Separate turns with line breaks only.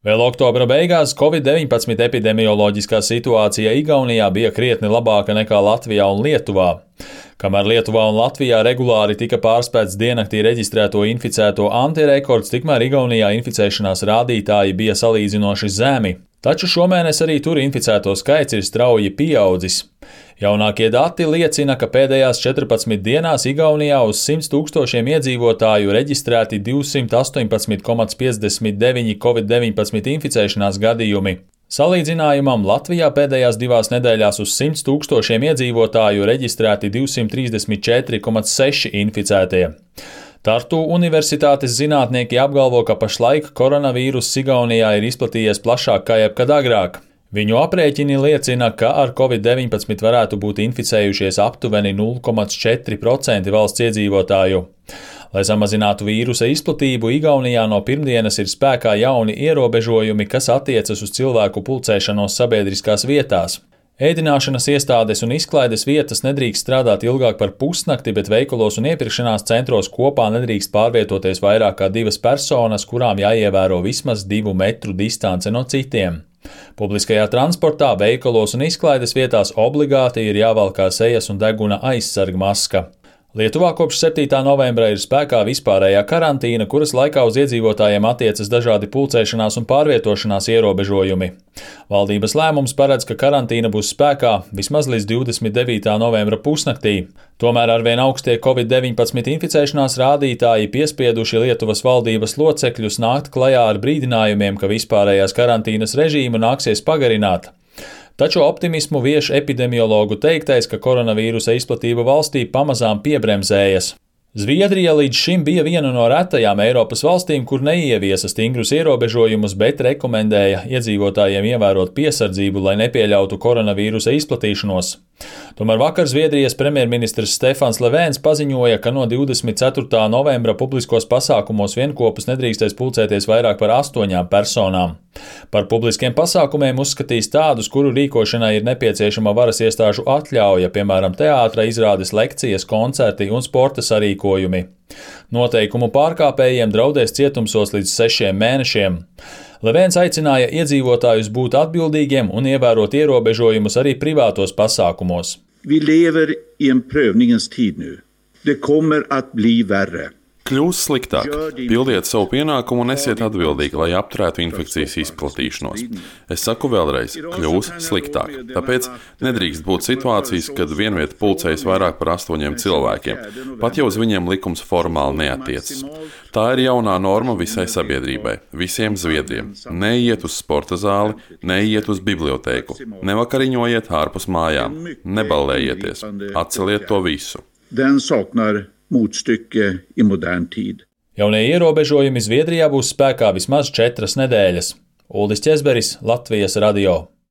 Vēl oktobra beigās Covid-19 epidemioloģiskā situācija Igaunijā bija krietni labāka nekā Latvijā un Lietuvā. Kamēr Lietuvā un Latvijā regulāri tika pārspēts diennaktī reģistrēto inficēto antirekords, tikmēr Igaunijā inficēšanās rādītāji bija salīdzinoši zemi. Taču šomēnes arī tur inficēto skaits ir strauji pieaudzis. Jaunākie dati liecina, ka pēdējās 14 dienās Igaunijā uz 100 000 iedzīvotāju reģistrēti 218,59 Covid-19 inficēšanās gadījumi. Salīdzinājumam Latvijā pēdējās 2 nedēļās uz 100 000 iedzīvotāju reģistrēti 234,6 inficētie. Tartu Universitātes zinātnieki apgalvo, ka pašlaik koronavīruss Igaunijā ir izplatījies plašāk kā jebkad agrāk. Viņu aprēķini liecina, ka ar Covid-19 varētu būt inficējušies aptuveni 0,4% valsts iedzīvotāju. Lai samazinātu vīrusa izplatību, Igaunijā no pirmdienas ir spēkā jauni ierobežojumi, kas attiecas uz cilvēku pulcēšanos sabiedriskās vietās. Ēdināšanas iestādes un izklaides vietas nedrīkst strādāt ilgāk par pusnakti, bet veikalos un iepirkšanās centros kopā nedrīkst pārvietoties vairāk kā 2 personas, kurām jāievēro vismaz 2 metru distance no citiem. Publiskajā transportā, veikalos un izklaides vietās obligāti ir jāvalkā sejas un deguna aizsarga maska. Lietuvā kopš 7. novembra ir spēkā vispārējā karantīna, kuras laikā uz iedzīvotājiem attiecas dažādi pulcēšanās un pārvietošanās ierobežojumi. Valdības lēmums paredz, ka karantīna būs spēkā vismaz līdz 29. novembra pusnaktī. Tomēr arvien augstie Covid-19 inficēšanās rādītāji piespieduši Lietuvas valdības locekļus nākt klajā ar brīdinājumiem, ka vispārējās karantīnas režīmu nāksies pagarināt. Taču optimismu vieš epidemiologu teiktais, ka koronavīrusa izplatība valstī pamazām piebremzējas. Zviedrija līdz šim bija viena no retajām Eiropas valstīm, kur neieviesa stingrus ierobežojumus, bet rekomendēja iedzīvotājiem ievērot piesardzību, lai nepieļautu koronavīrusa izplatīšanos. Tomēr vakar Zviedrijas premjerministrs Stefans Löfvens paziņoja, ka no 24. novembra publiskos pasākumos vienkopus nedrīkstēs pulcēties vairāk par 8 personām. Par publiskiem pasākumiem uzskatīs tādus, kuru rīkošanai ir nepieciešama varas iestāžu atļauja, piemēram, teātra izrādes, lekcijas, koncerti un sporta sarīkojumi. Noteikumu pārkāpējiem draudēs cietumsods līdz 6 mēnešiem. Löfvens aicināja iedzīvotājus būt atbildīgiem un ievērot ierobežojumus arī privātos pasākumos.
Vi lever i en prövningens tid nu. Det kommer att bli värre.
Kļūs sliktāk. Pildiet savu pienākumu un esiet atbildīgi, lai apturētu infekcijas izplatīšanos. Es saku vēlreiz, kļūs sliktāk. Tāpēc nedrīkst būt situācijas, kad vienvieta pulcējas vairāk par 8 cilvēkiem, pat jau uz viņiem likums formāli neatiecas. Tā ir jaunā norma visai sabiedrībai, visiem zviedriem. Neiet uz sporta zāli, neiet uz bibliotēku, nevakariņojiet ārpus mājām, neballējieties, atceliet to visu.
Den saknar motstycke i modern tid.
Jaunie ierobežojumi Zviedrijā būs spēkā vismaz 4 nedēļas. Uldis Česberis, Latvijas radio.